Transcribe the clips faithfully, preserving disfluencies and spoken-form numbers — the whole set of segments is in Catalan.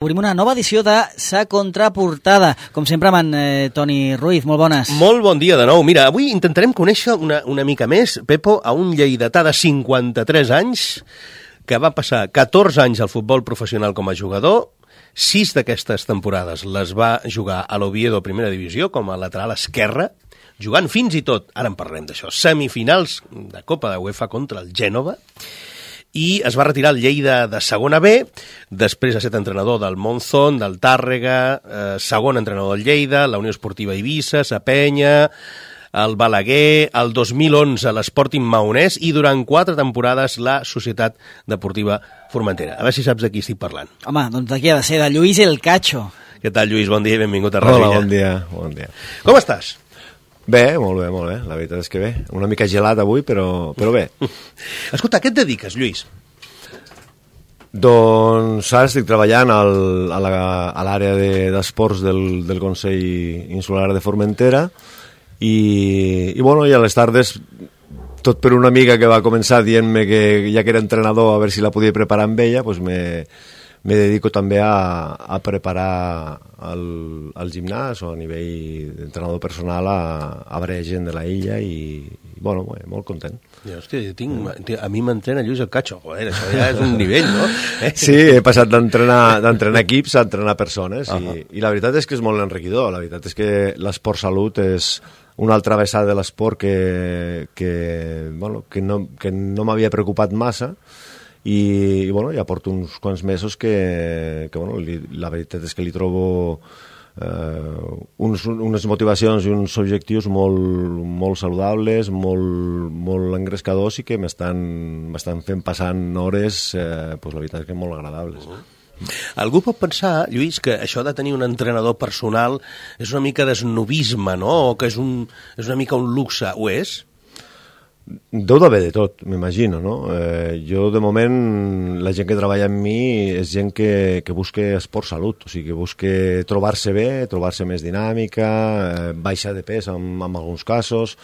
Obrim una nova edició de Sa Contraportada, com sempre amb en eh, Toni Ruiz. Molt bones. Molt bon dia de nou. Mira, avui intentarem conèixer una, una mica més, Pepo, a un lleidatà de cinquanta-tres anys que va passar catorze anys al futbol professional com a jugador. Sis d'aquestes temporades les va jugar a l'Oviedo Primera Divisió com a lateral esquerre, jugant fins i tot, ara en parlem d'això, semifinals de Copa de UEFA contra el Gènova, i es va retirar al Lleida de segona B, després ha estat entrenador del Monzón, del Tàrrega, eh, segon entrenador del Lleida, la Unió Esportiva Eivissa, Sa Penya, el Balaguer, el dos mil onze l'Sporting Maonès i durant quatre temporades la Societat Deportiva Formentera. A veure si saps de qui estic parlant. Home, doncs d'aquí ha de ser, de Lluís El Cacho. Què tal, Lluís? Bon dia i benvingut a Ràdio. Hola, bon dia, bon dia. Com estàs? Bé, molt bé, molt bé, la veritat és que bé. Una mica gelat avui, però, però bé. Escolta, a què et dediques, Lluís? Doncs ara estic treballant al, a l'àrea de, d'esports del, del Consell Insular de Formentera i, i, bueno, i a les tardes, tot per una amiga que va començar dient-me que ja que era entrenador, a veure si la podia preparar amb ella, doncs me... me dedico també a, a preparar el, el gimnàs o a nivell d'entrenador personal a, a variar gent de la illa i, i bueno, bé, molt content. Ja, hòstia, tinc, a mi m'entrena Lluís El Cacho, joder, això ja és un nivell, no? Eh? Sí, he passat d'entrenar d'entrenar equips a entrenar persones uh -huh. i, i la veritat és que és molt enriquidor, la veritat és que l'esport salut és una altra vessada de l'esport que, que, bueno, que no, que no m'havia preocupat massa i, i bueno, ja porto uns quants mesos que, que bueno, li, la veritat és que li trobo eh, uns, unes motivacions i uns objectius molt, molt saludables, molt, molt engrescadors i que m'estan, m'estan fent passant hores, eh, pues la veritat és que molt agradables. Uh -huh. Algú pot pensar, Lluís, que això de tenir un entrenador personal és una mica d'esnobisme, no? O que és, un, és una mica un luxe. Ho és? Deu d'haver de tot, m'imagino, no? Eh, jo, de moment, la gent que treballa amb mi és gent que, que busca esport salut, o sigui, que busca trobar-se bé, trobar-se més dinàmica, eh, baixar de pes en, en alguns casos,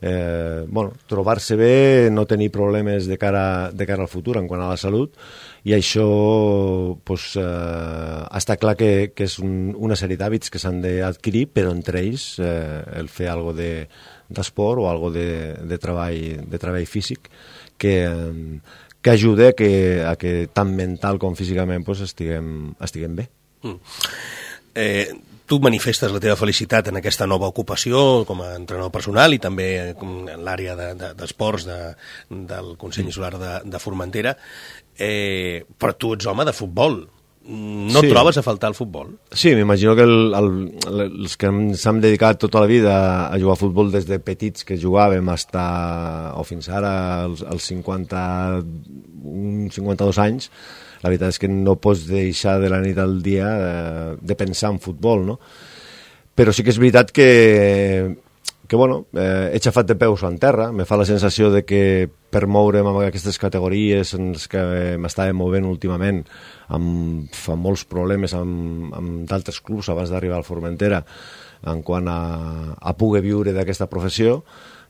eh, bueno, trobar-se bé, no tenir problemes de cara, de cara al futur en quant a la salut, i això pues, eh, està clar que, que és un, una sèrie d'hàbits que s'han d'adquirir, però entre ells eh, el fer alguna de d'esport o algo de, de, treball, de treball físic que, que ajuda a que, a que tant mental com físicament pues, estiguem, estiguem bé. Mm. Eh, tu manifestes la teva felicitat en aquesta nova ocupació com a entrenador personal i també en l'àrea de, de, d'esports de, del Consell Insular de, de Formentera, eh, però tu ets home de futbol. No sí. Trobes a faltar el futbol? Sí, m'imagino que el, el, els que s'han dedicat tota la vida a jugar a futbol des de petits que jugàvem hasta, o fins ara als, als cinquanta, cinquanta-dos anys, la veritat és que no pots deixar de la nit al dia de, de pensar en futbol, no? Però sí que és veritat que que bueno, eh, he xafat de peus en terra, me fa la sensació de que per moure'm amb aquestes categories en les que m'estava movent últimament amb, amb molts problemes amb, amb d'altres clubs abans d'arribar al Formentera en quant a, a poder viure d'aquesta professió,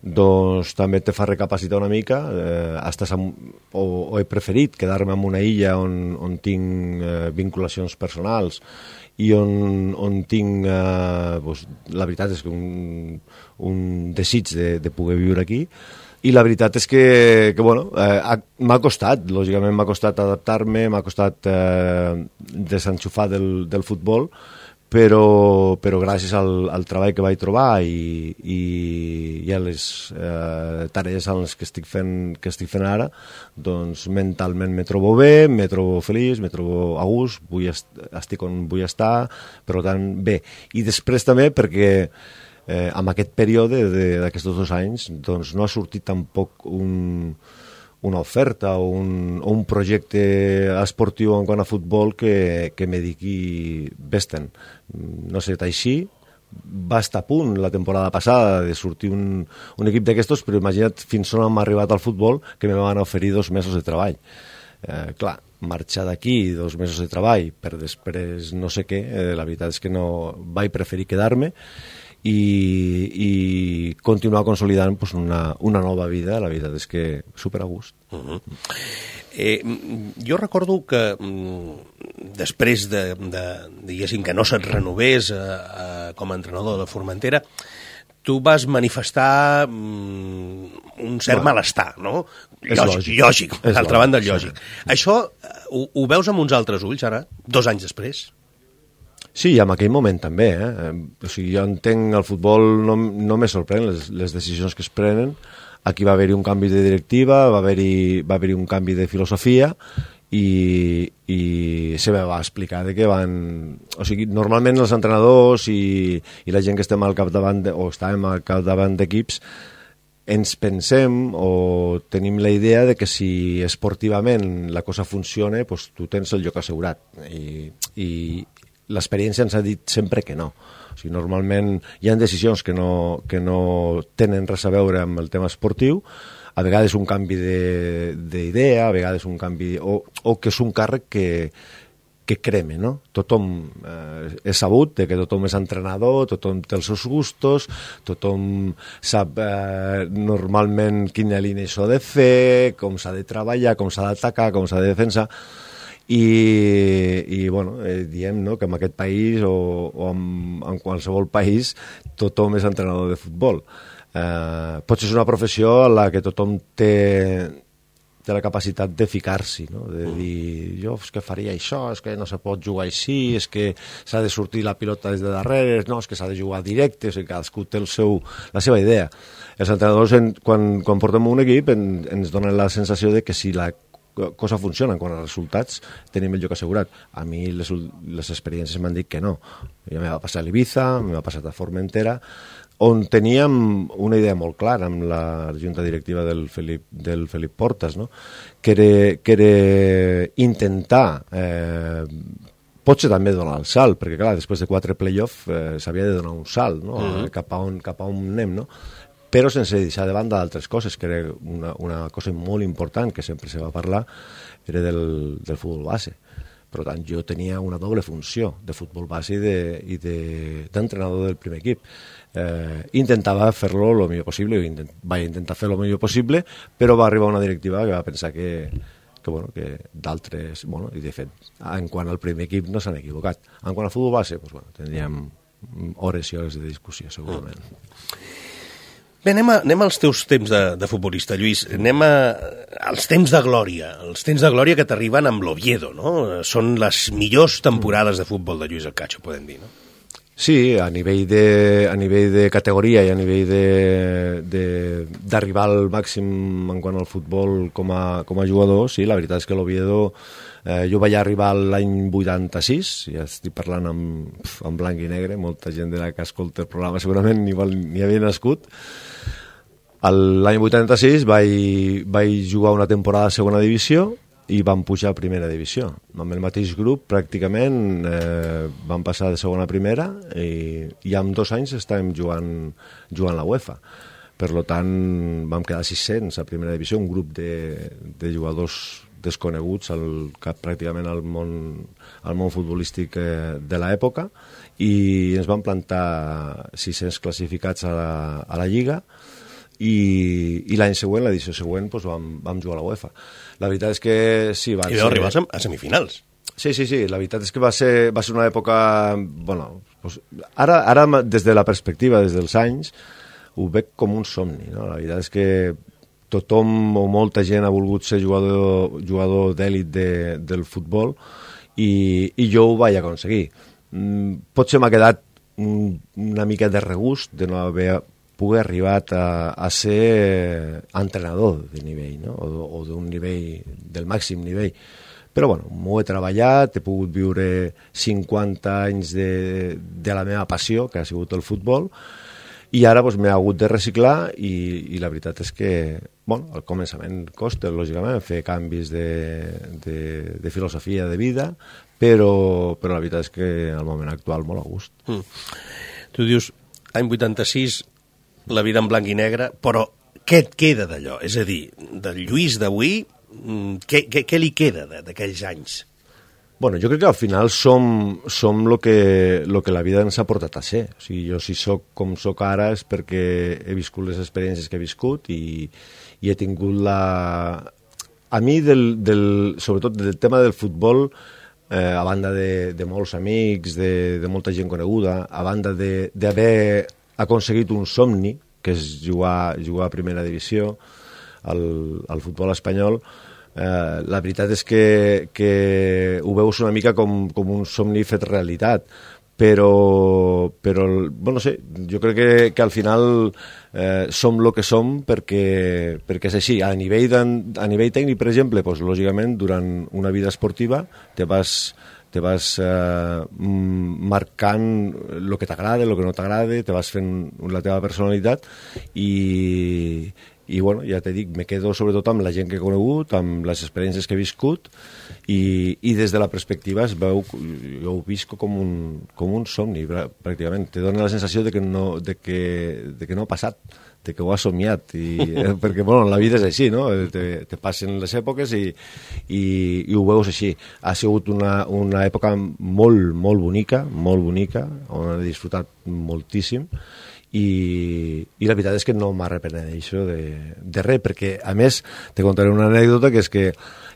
doncs també te fa recapacitar una mica, eh, estàs amb, o, o he preferit quedar-me en una illa on, on tinc eh, vinculacions personals i on, on tinc, eh, doncs, la veritat és que un, un desig de, de poder viure aquí, i la veritat és que, que bueno, eh, m'ha costat, lògicament m'ha costat adaptar-me, m'ha costat eh, desenxufar del, del futbol, però, però gràcies al, al treball que vaig trobar i, i, i a les eh, tarees en les que estic fent, que estic fent ara, doncs mentalment me trobo bé, me trobo feliç, me trobo a gust, vull est estic on vull estar, per tant, bé. I després també perquè eh, en aquest període d'aquests dos anys doncs no ha sortit tampoc un... una oferta o un, o un projecte esportiu en quant a futbol que, que me digui vés-te'n. No sé, així va estar a punt la temporada passada de sortir un, un equip d'aquestos, però imagina't fins on hem arribat al futbol que me van oferir dos mesos de treball. Eh, clar, marxar d'aquí dos mesos de treball per després no sé què, eh, la veritat és que no vaig preferir quedar-me i, i continuar consolidant pues, una, una nova vida. La veritat és que super a gust. Uh-huh. Eh, jo recordo que mm, després de, de, diguéssim, que no se't renovés eh, eh, com a entrenador de Formentera, tu vas manifestar mm, un cert bueno, malestar, no? Lògic, lògic, lògic d'altra banda, lògic. Sí. Això ho, ho veus amb uns altres ulls, ara, dos anys després? Sí, en aquell moment també. Eh? O sigui, jo entenc el futbol, no, no me sorprèn les, les decisions que es prenen. Aquí va haver-hi un canvi de directiva, va haver-hi va haver-hi un canvi de filosofia, i, i se me va explicar de que van... O sigui, normalment els entrenadors i, i la gent que estem al capdavant de, o estàvem al capdavant d'equips ens pensem o tenim la idea de que si esportivament la cosa funciona, pues, tu tens el lloc assegurat. I, i l'experiència ens ha dit sempre que no. O sigui, normalment hi ha decisions que no, que no tenen res a veure amb el tema esportiu, a vegades un canvi d'idea, a vegades un canvi... O, o que és un càrrec que, que creme, no? Tothom eh, és sabut de que tothom és entrenador, tothom té els seus gustos, tothom sap eh, normalment quina línia s'ha de fer, com s'ha de treballar, com s'ha d'atacar, com s'ha de defensar, i, i bueno, eh, diem, no?, que en aquest país o, o en, en qualsevol país tothom és entrenador de futbol. Eh, potser és una professió en la que tothom té, té la capacitat de ficar-s'hi, no? De dir, jo és que faria això, és que no se pot jugar així, és que s'ha de sortir la pilota des de darrere, no, és que s'ha de jugar directe, o sigui, cadascú té el seu, la seva idea. Els entrenadors, en, quan, quan portem un equip, en, ens donen la sensació de que si la cosa funciona quan els resultats tenim el lloc assegurat. A mi les, les experiències m'han dit que no. Ja me va passar a l'Ibiza, me va passar a Formentera, on teníem una idea molt clara amb la junta directiva del Felip, del Felip Portas, no? que, era, que era intentar eh, potser també donar el salt, perquè clar, després de quatre play-off eh, s'havia de donar un salt, no? uh-huh. cap, a on, cap a on anem, no? Però sense deixar de banda d'altres coses, que era una, una cosa molt important que sempre se va parlar, era del, del futbol base. Per tant, jo tenia una doble funció de futbol base i d'entrenador de, del primer equip. Eh, intentava fer-lo el millor possible, intent, vaig intentar fer-lo el millor possible, però va arribar una directiva que va pensar que, que, bueno, que d'altres... Bueno, i de fet, en quant al primer equip no s'han equivocat. En quant al futbol base, doncs, bueno, tindríem hores i hores de discussió, segurament. Mm. Bé, anem, a, anem als teus temps de, de futbolista, Lluís. Anem a, als temps de glòria, els temps de glòria que t'arriben amb l'Oviedo, no? Són les millors temporades de futbol de Lluís el Cacho, podem dir, no? Sí, a nivell de, a nivell de categoria i a nivell d'arribar al màxim en quant al futbol com a, com a jugador, sí, la veritat és que l'Oviedo... Eh, jo vaig arribar l'any vuitanta-sis, ja estic parlant en, en blanc i negre, molta gent de la que escolta el programa segurament ni, ni havia nascut. L'any vuitanta-sis vaig, vaig jugar una temporada a segona divisió i vam pujar a primera divisió. Amb el mateix grup, pràcticament, eh, vam passar de segona a primera i, i en dos anys estàvem jugant, jugant la UEFA. Per tant, vam quedar sis-cents a primera divisió, un grup de, de jugadors desconeguts al, pràcticament al món, al món futbolístic eh, de l'època, i ens van plantar sis-cents classificats a la, a la Lliga, i, i l'any següent, l'edició següent, doncs vam, vam jugar a la UEFA. La veritat és que sí, va I vau arribar a semifinals. Sí, sí, sí, la veritat és que va ser, va ser una època... Bueno, doncs, ara, ara, des de la perspectiva, des dels anys, ho veig com un somni, no? La veritat és que tothom o molta gent ha volgut ser jugador, jugador d'èlit de, del futbol i, i jo ho vaig aconseguir. Mm, potser m'ha quedat un, una mica de regust de no haver pogut arribar a, a ser entrenador de nivell, no? o, o d'un nivell, del màxim nivell. Però bueno, m'ho he treballat, he pogut viure cinquanta anys de, de la meva passió, que ha sigut el futbol, i ara doncs, m'he hagut de reciclar i, i la veritat és que bueno, al començament costa, lògicament, fer canvis de, de, de filosofia de vida, però, però la veritat és que al moment actual molt a gust. Mm. Tu dius, any vuitanta-sis, la vida en blanc i negre, però què et queda d'allò? És a dir, del Lluís d'avui, què, què, què li queda d'aquells anys? Bueno, jo crec que al final som, som lo, que, lo que la vida ens ha portat a ser. O sigui, jo si sóc com sóc ara és perquè he viscut les experiències que he viscut i, i he tingut la... A mi, del, del, sobretot del tema del futbol, eh, a banda de, de molts amics, de, de molta gent coneguda, a banda d'haver aconseguit un somni, que és jugar, jugar a primera divisió, al, al futbol espanyol, Eh, la veritat és que, que ho veus una mica com, com un somni fet realitat, però, però bueno, no sé, jo crec que, que al final eh, som el que som perquè, perquè és així. A nivell, a nivell tècnic, per exemple, doncs, lògicament, durant una vida esportiva te vas, te vas eh, marcant el que t'agrada, el que no t'agrada, te vas fent la teva personalitat i... i bueno, ja t'he dit, me quedo sobretot amb la gent que he conegut, amb les experiències que he viscut i, i des de la perspectiva es veu, jo ho visco com un, com un somni pràcticament, te dona la sensació de que no, de que, de que no ha passat, de que ho has somiat i, eh, perquè bueno, la vida és així, no? te, te passen les èpoques i, i, i ho veus així. Ha sigut una, una època molt, molt bonica, molt bonica, on he disfrutat moltíssim. I, i la veritat és que no m'arrepeneixo de, de res, perquè a més te contaré una anècdota, que és que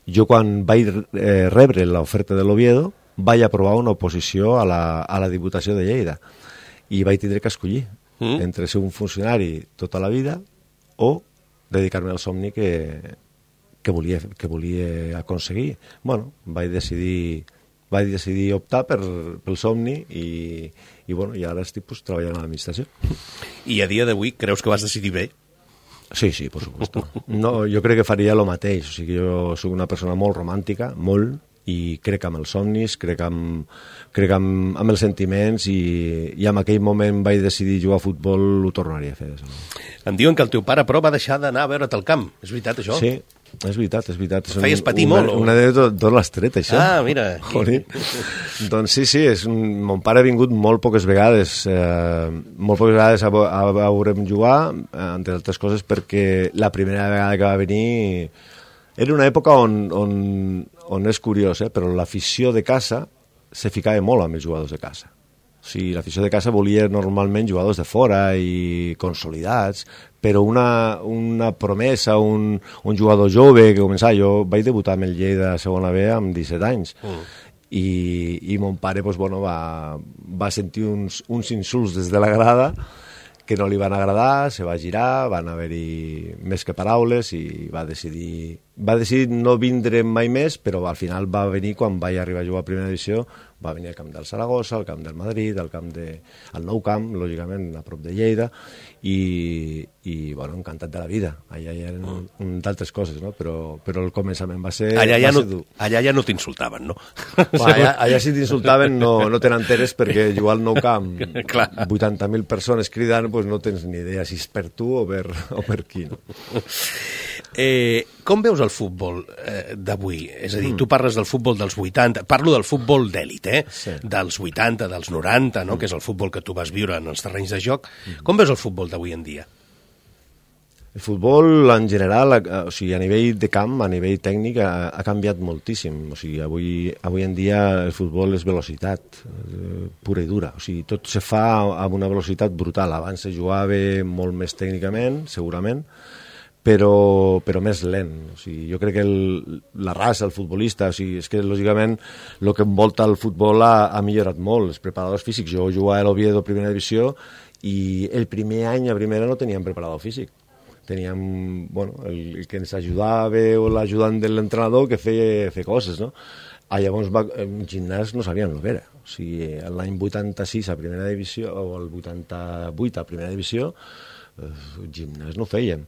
jo quan vaig eh, rebre l'oferta de l'Oviedo vaig aprovar una oposició a la, a la Diputació de Lleida i vaig tindre que escollir mm. entre ser un funcionari tota la vida o dedicar-me al somni que, que, volia, que volia aconseguir. Bueno, vaig decidir vaig decidir optar per, pel somni i, i, bueno, i ara estic pues, treballant a l'administració. I a dia d'avui creus que vas decidir bé? Sí, sí, por supuesto. No, jo crec que faria el mateix. O sigui, jo soc una persona molt romàntica, molt, i crec amb els somnis, crec amb, crec amb, amb els sentiments i, i en aquell moment vaig decidir jugar a futbol, ho tornaria a fer. Em diuen que el teu pare, però, va deixar d'anar a veure't al camp. És veritat, això? Sí, és veritat, és veritat. És Feies patir una, molt? O... Una anècdota d'on l'has tret, això? Ah, mira. Doncs sí, sí, és un... mon pare ha vingut molt poques vegades, eh, molt poques vegades a, a, a veure'm jugar, entre altres coses perquè la primera vegada que va venir era una època on, on, on és curiós, eh, però l'afició de casa se ficava molt amb els jugadors de casa. O sigui, l'afició de casa volia normalment jugadors de fora i consolidats, però una, una promesa, un, un jugador jove que començava... Jo vaig debutar amb el Lleida de segona B amb disset anys mm. i, i mon pare pues, bueno, va, va sentir uns, uns insults des de la grada que no li van agradar, se va girar, van haver-hi més que paraules i va decidir, va decidir no vindre mai més, però al final va venir quan vaig arribar a jugar a primera divisió, va venir al camp del Saragossa, al camp del Madrid, al camp de, al Nou Camp, lògicament, a prop de Lleida, i, i bueno, encantat de la vida. Allà hi eren mm. d'altres coses, no? però, però el començament va ser, allà ja va no, ser dur. Allà ja no t'insultaven, no? Va, allà, allà si t'insultaven no, no te n'enteres perquè jugar al Nou Camp, vuitanta mil persones cridant, pues no tens ni idea si és per tu o per, o per qui. No? Eh, com veus el futbol eh, d'avui? És a dir, mm. tu parles del futbol dels vuitanta, parlo del futbol d'èlit, eh? Sí. Dels vuitanta, dels noranta, no? Mm. que és el futbol que tu vas viure en els terrenys de joc. Mm. Com veus el futbol d'avui en dia? El futbol, en general, o sigui, a nivell de camp, a nivell tècnic, ha, ha canviat moltíssim. O sigui, avui, avui en dia el futbol és velocitat, eh, pura i dura. O sigui, tot se fa amb una velocitat brutal. Abans se jugava molt més tècnicament, segurament, però, però més lent. O sigui, jo crec que el, la raça, el futbolista, o sigui, és que lògicament el que envolta el futbol ha, ha millorat molt. Els preparadors físics, jo jugava a l'Oviedo primera divisió i el primer any a primera no teníem preparador físic. Teníem, bueno, el, el que ens ajudava o l'ajudant de l'entrenador que feia, feia coses, no? Ah, llavors va, en gimnàs no sabíem el que era. O sigui, l'any vuitanta-sis a primera divisió o el vuitanta-vuit a primera divisió, eh, gimnàs no fèiem.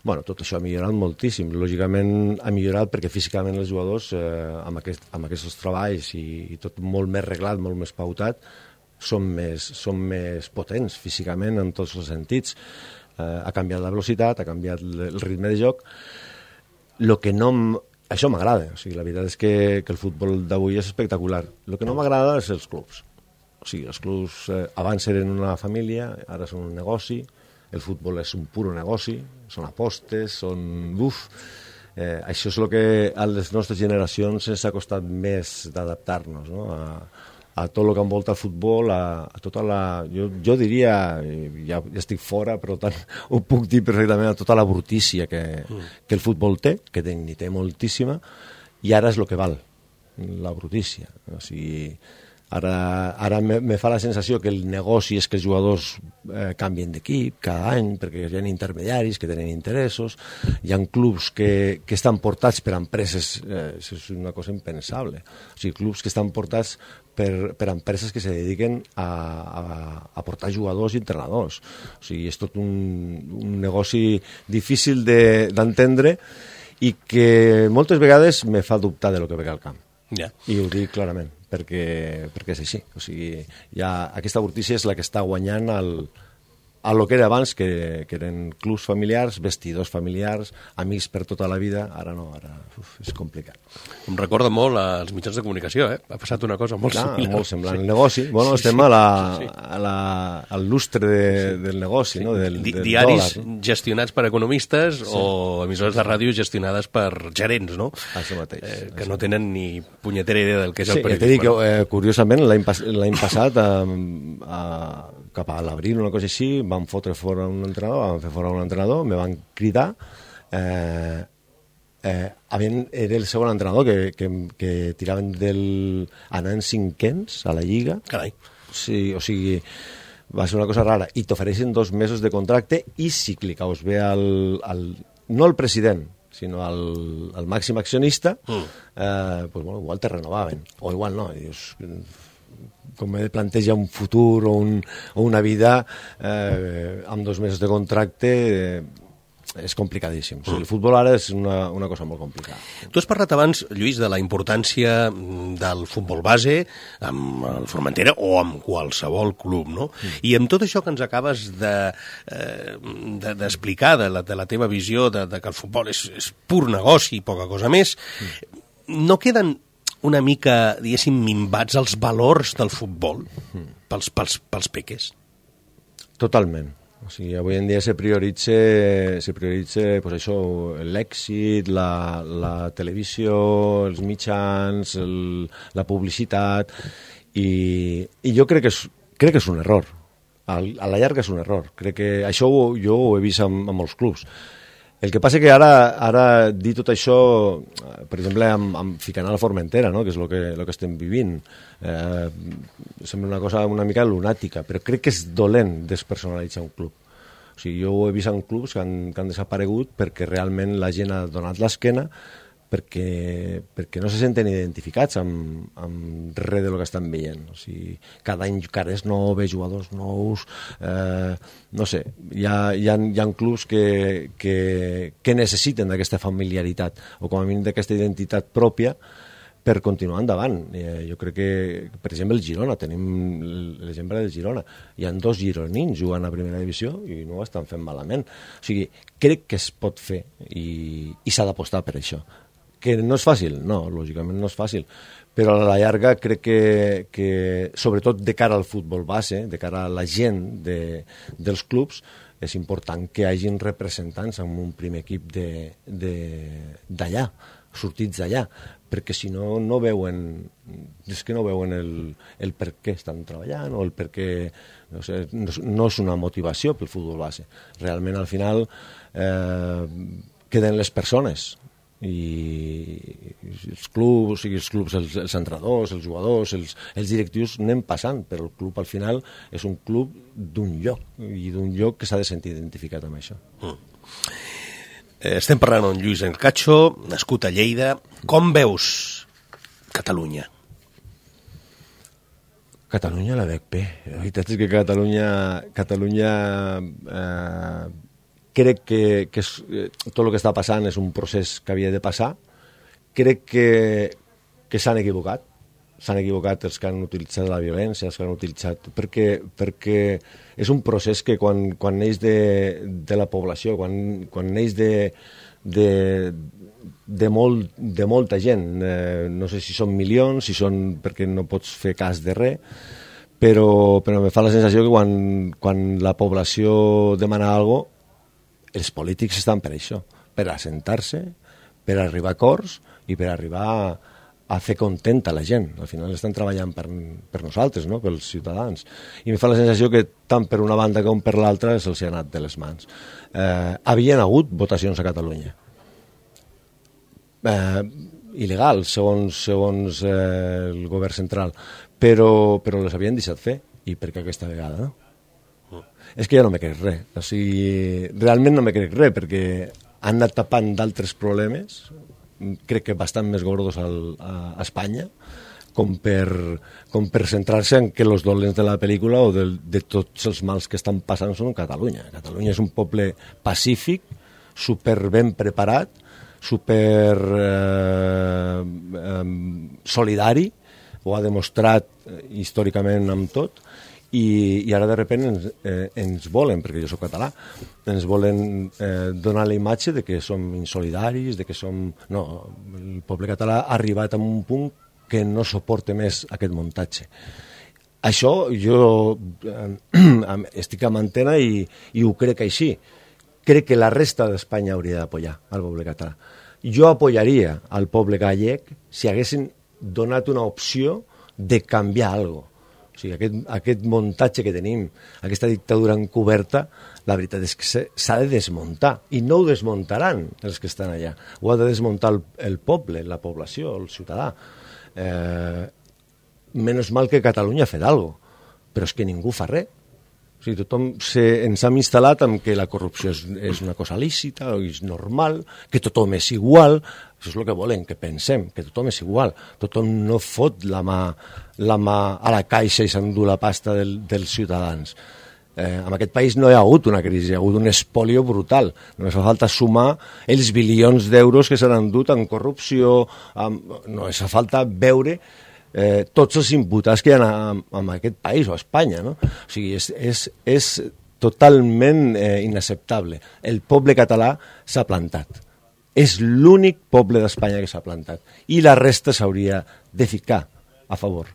Bueno, tot això ha millorat moltíssim. Lògicament ha millorat perquè físicament els jugadors, eh, amb, aquest, amb aquests treballs i, i tot molt més reglat, molt més pautat, són més, són més potents físicament en tots els sentits. Eh, ha canviat la velocitat, ha canviat el ritme de joc. Lo que no... Això m'agrada. O sigui, la veritat és que, que el futbol d'avui és espectacular. El que no m'agrada és els clubs. O sigui, els clubs eh, abans eren una família, ara són un negoci. El futbol és un puro negoci, són apostes, són... Uf, Eh, això és el que a les nostres generacions ens ha costat més d'adaptar-nos, no? a, a tot el que envolta el futbol, a, a tota la... Jo, jo diria, ja, ja estic fora, però tant ho puc dir perfectament, a tota la brutícia que, mm. que el futbol té, que té, ni té moltíssima, i ara és el que val, la brutícia. O sigui, ara, ara me, me fa la sensació que el negoci és que els jugadors eh, canvien d'equip cada any, perquè hi ha intermediaris que tenen interessos, hi ha clubs que, que estan portats per empreses, eh, és una cosa impensable, o sigui, clubs que estan portats per, per empreses que se dediquen a, a, a portar jugadors i entrenadors. O sigui, és tot un, un negoci difícil d'entendre de, i que moltes vegades me fa dubtar de lo que ve al camp. Yeah. I ho dic clarament, perquè, perquè és així. O sigui, ja, aquesta brutícia és la que està guanyant el, a lo que era abans, que, que eren clubs familiars, vestidors familiars, amics per tota la vida. Ara no, ara uf, és complicat. Em recorda molt als mitjans de comunicació, eh? Ha passat una cosa molt Clar, similar. Molt semblant. Sí. El negoci, bueno, sí, estem sí, a la, sí. a la, al lustre de, sí. del negoci, sí. no? Del, Di del Diaris dòlar, no? gestionats per economistes sí. o emissores de ràdio gestionades per gerents, no? Això mateix. Eh, que no tenen ni punyetera idea del que és sí, el periodisme. Sí, t'he dit que, eh, curiosament, l'any pas, passat, eh, a, cap a l'abril, una cosa així, van fotre fora un entrenador, van fer fora un entrenador, me van cridar, eh, eh, havien, era el segon entrenador que, que, que tiraven del... anant cinquens a la Lliga. Carai. Sí, o sigui, va ser una cosa rara. I t'ofereixen dos mesos de contracte i si li caus bé al, al... no al president, sinó al, al màxim accionista, mm. eh, pues, bueno, igual te renovaven, o igual no. I dius, com me planteja un futur o, un, o una vida eh, amb dos mesos de contracte, eh, és complicadíssim. O sigui, el futbol ara és una, una cosa molt complicada. Tu has parlat abans, Lluís, de la importància del futbol base amb el Formentera o amb qualsevol club, no? Mm. I amb tot això que ens acabes d'explicar, de, de, de, la, de la teva visió de, de que el futbol és, és pur negoci i poca cosa més, mm. no queden una mica, diguéssim, minvats els valors del futbol pels, pels, pels peques? Totalment. O sigui, avui en dia se prioritza, se prioritza pues això, l'èxit, la, la televisió, els mitjans, el, la publicitat, i, i jo crec que, és, crec que és un error. A, a la llarga és un error. Crec que això ho, jo ho he vist amb, amb molts clubs. El que passa que ara, ara dir tot això, per exemple, amb, amb ficant a la Formentera, no? Que és el que, lo que estem vivint, eh, sembla una cosa una mica lunàtica, però crec que és dolent despersonalitzar un club. O sigui, jo ho he vist en clubs que han, que han desaparegut perquè realment la gent ha donat l'esquena, perquè, perquè no se senten identificats amb, amb res del que estan veient. O sigui, cada any cares noves, jugadors nous, eh, no sé, hi ha, hi ha, hi ha clubs que, que, que necessiten d'aquesta familiaritat o com a mínim d'aquesta identitat pròpia per continuar endavant. Eh, jo crec que, per exemple, el Girona, tenim l'exemple del Girona. Hi ha dos gironins jugant a primera divisió i no ho estan fent malament. O sigui, crec que es pot fer i, i s'ha d'apostar per això. Que no és fàcil? No, lògicament no és fàcil, però a la llarga crec que, que sobretot de cara al futbol base, de cara a la gent de, dels clubs, és important que hi hagin representants en un primer equip d'allà, sortits d'allà, perquè si no, no veuen, és que no veuen el, el per què estan treballant o el per què, no sé, no, no és una motivació pel futbol base. Realment, al final, eh, queden les persones, i els clubs, o sigui, els clubs, els, els entrenadors, els jugadors, els, els directius anem passant, però el club al final és un club d'un lloc i d'un lloc que s'ha de sentir identificat amb això. Mm. Eh, estem parlant amb Lluís Encacho, nascut a Lleida. Com veus Catalunya? Catalunya la veig bé. La veritat és que Catalunya, Catalunya eh, crec que, que és, tot el que està passant és un procés que havia de passar. Crec que, que s'han equivocat. S'han equivocat els que han utilitzat la violència, els que han utilitzat... Perquè, perquè és un procés que quan, quan neix de, de la població, quan, quan neix de, de, de, molt, de molta gent, eh, no sé si són milions, si són perquè no pots fer cas de res, però, però me fa la sensació que quan, quan la població demana alguna cosa, els polítics estan per això, per assentar-se, per arribar a acords i per arribar a, a fer contenta la gent. Al final estan treballant per, per nosaltres, no? Pels ciutadans. I em fa la sensació que tant per una banda com per l'altra se'ls ha anat de les mans. Eh, havien hagut votacions a Catalunya. Eh, il·legal, segons, segons eh, el govern central, però, però les havien deixat fer. I per què aquesta vegada, no? Mm. És que ja no me crec res. O sigui, realment no me crec res, perquè han anat tapant d'altres problemes, crec que bastant més gordos al, a, a Espanya, com per, com per centrar-se en que els dolents de la pel·lícula o de, de tots els mals que estan passant són Catalunya. Catalunya és un poble pacífic, super ben preparat, super eh, eh, solidari, ho ha demostrat històricament amb tot, i, i ara de repente ens, eh, ens volen, perquè jo soc català, ens volen eh, donar la imatge de que som insolidaris, de que som... No, el poble català ha arribat a un punt que no suporta més aquest muntatge. Això jo eh, estic amb antena i, i ho crec així. Crec que la resta d'Espanya hauria d'apoyar al poble català. Jo apoyaria al poble gallec si haguessin donat una opció de canviar alguna cosa. O sigui, aquest, aquest muntatge que tenim, aquesta dictadura encoberta, la veritat és que s'ha de desmuntar, i no ho desmuntaran els que estan allà. Ho ha de desmuntar el, el poble, la població, el ciutadà. Eh, menys mal que Catalunya ha fet alguna cosa, però és que ningú fa res. O sigui, tothom se, ens hem instal·lat en que la corrupció és, és una cosa lícita, és normal, que tothom és igual. Això és el que volen, que pensem, que tothom és igual. Tothom no fot la mà, la mà a la caixa i s'endú la pasta del, dels ciutadans. Eh, en aquest país no hi ha hagut una crisi, hi ha hagut un espolio brutal. Només fa falta sumar els bilions d'euros que s'han endut en corrupció, amb, només fa falta veure Eh, tots els imputats que hi ha en aquest país o a Espanya, no? O sigui, és, és, és totalment eh, inacceptable. El poble català s'ha plantat. És l'únic poble d'Espanya que s'ha plantat. I la resta s'hauria de ficar a favor.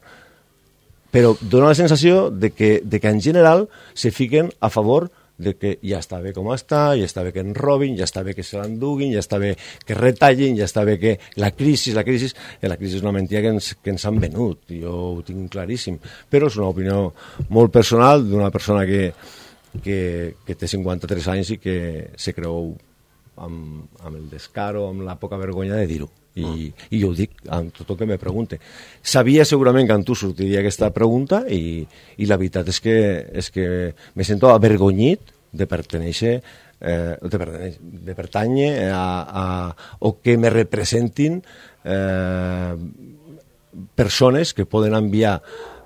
Però dona la sensació de que, de que en general se fiquen a favor de que ja està bé com està, ja està bé que en robin, ja està bé que se l'enduguin, ja està bé que retallin, ja està bé que la crisi, la crisi, la crisi és una mentida que ens, que ens han venut, jo ho tinc claríssim, però és una opinió molt personal d'una persona que, que, que té cinquanta-tres anys i que se creu amb, amb el descaro, amb la poca vergonya de dir-ho. I, mm. i jo ho dic amb tot el que me pregunte. Sabia segurament que amb tu sortiria aquesta pregunta i, i la veritat és que, és que me sento avergonyit de pertenèixer eh, de, pertenèixer, de pertànyer a, a, o que me representin eh, persones que poden enviar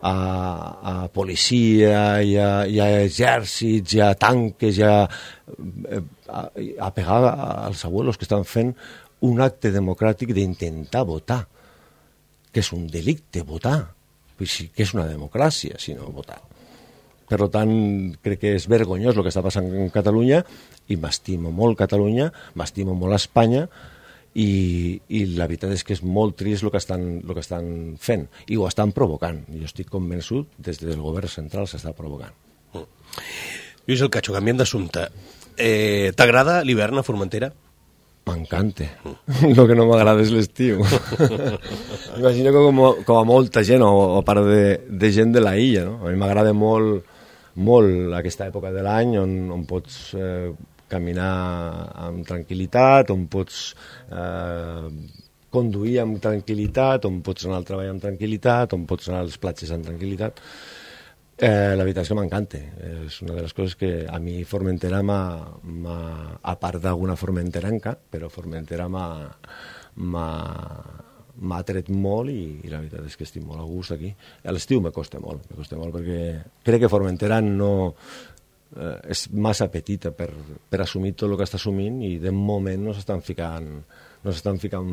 a, a policia i a, i a exèrcits i a tanques i a, a, a pegar als abuelos que estan fent un acte democràtic d'intentar votar, que és un delicte votar, que és una democràcia, si no votar. Per tant, crec que és vergonyós el que està passant en Catalunya i m'estimo molt Catalunya, m'estimo molt Espanya i, i la veritat és que és molt trist el que estan, el que estan fent i ho estan provocant. Jo estic convençut des del govern central s'està provocant. Mm. Lluís El Cacho, canviem d'assumpte. Eh, T'agrada l'hivern a Formentera? M'encanta. El que no m'agrada és l'estiu. Imagino que com, com a molta gent, o, o part de, de gent de la illa, no? A mi m'agrada molt, molt aquesta època de l'any on, on pots eh, caminar amb tranquil·litat, on pots eh, conduir amb tranquil·litat, on pots anar al treball amb tranquil·litat, on pots anar a les platges amb tranquil·litat. Eh, la veritat és que m'encanta, és una de les coses que a mi Formentera m'ha, m'ha a part d'alguna formenteranca, però Formentera m'ha m'ha atret molt i, i la veritat és que estic molt a gust aquí. A l'estiu me costa molt, me costa molt perquè crec que Formentera no eh, és massa petita per, per assumir tot el que està assumint i de moment no s'estan ficant no s'estan ficant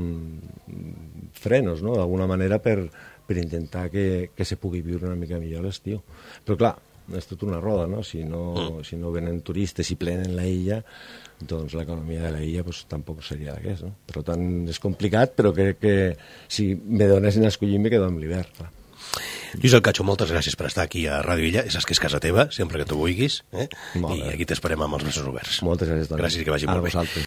frenos, no?, d'alguna manera per per intentar que, que se pugui viure una mica millor l'estiu. Però clar, és tot una roda, no? Si no, mm. si no venen turistes i plenen la illa, doncs l'economia de la illa pues, tampoc seria d'aquest, no? Per tant, és complicat, però crec que si me donessin a escollir me quedo amb l'hivern, clar. Lluís El Cacho, moltes gràcies per estar aquí a Ràdio Illa. Saps que és casa teva, sempre que tu vulguis, eh? I aquí t'esperem amb els braços oberts. Moltes gràcies, Toni. Gràcies i que vagi molt bé.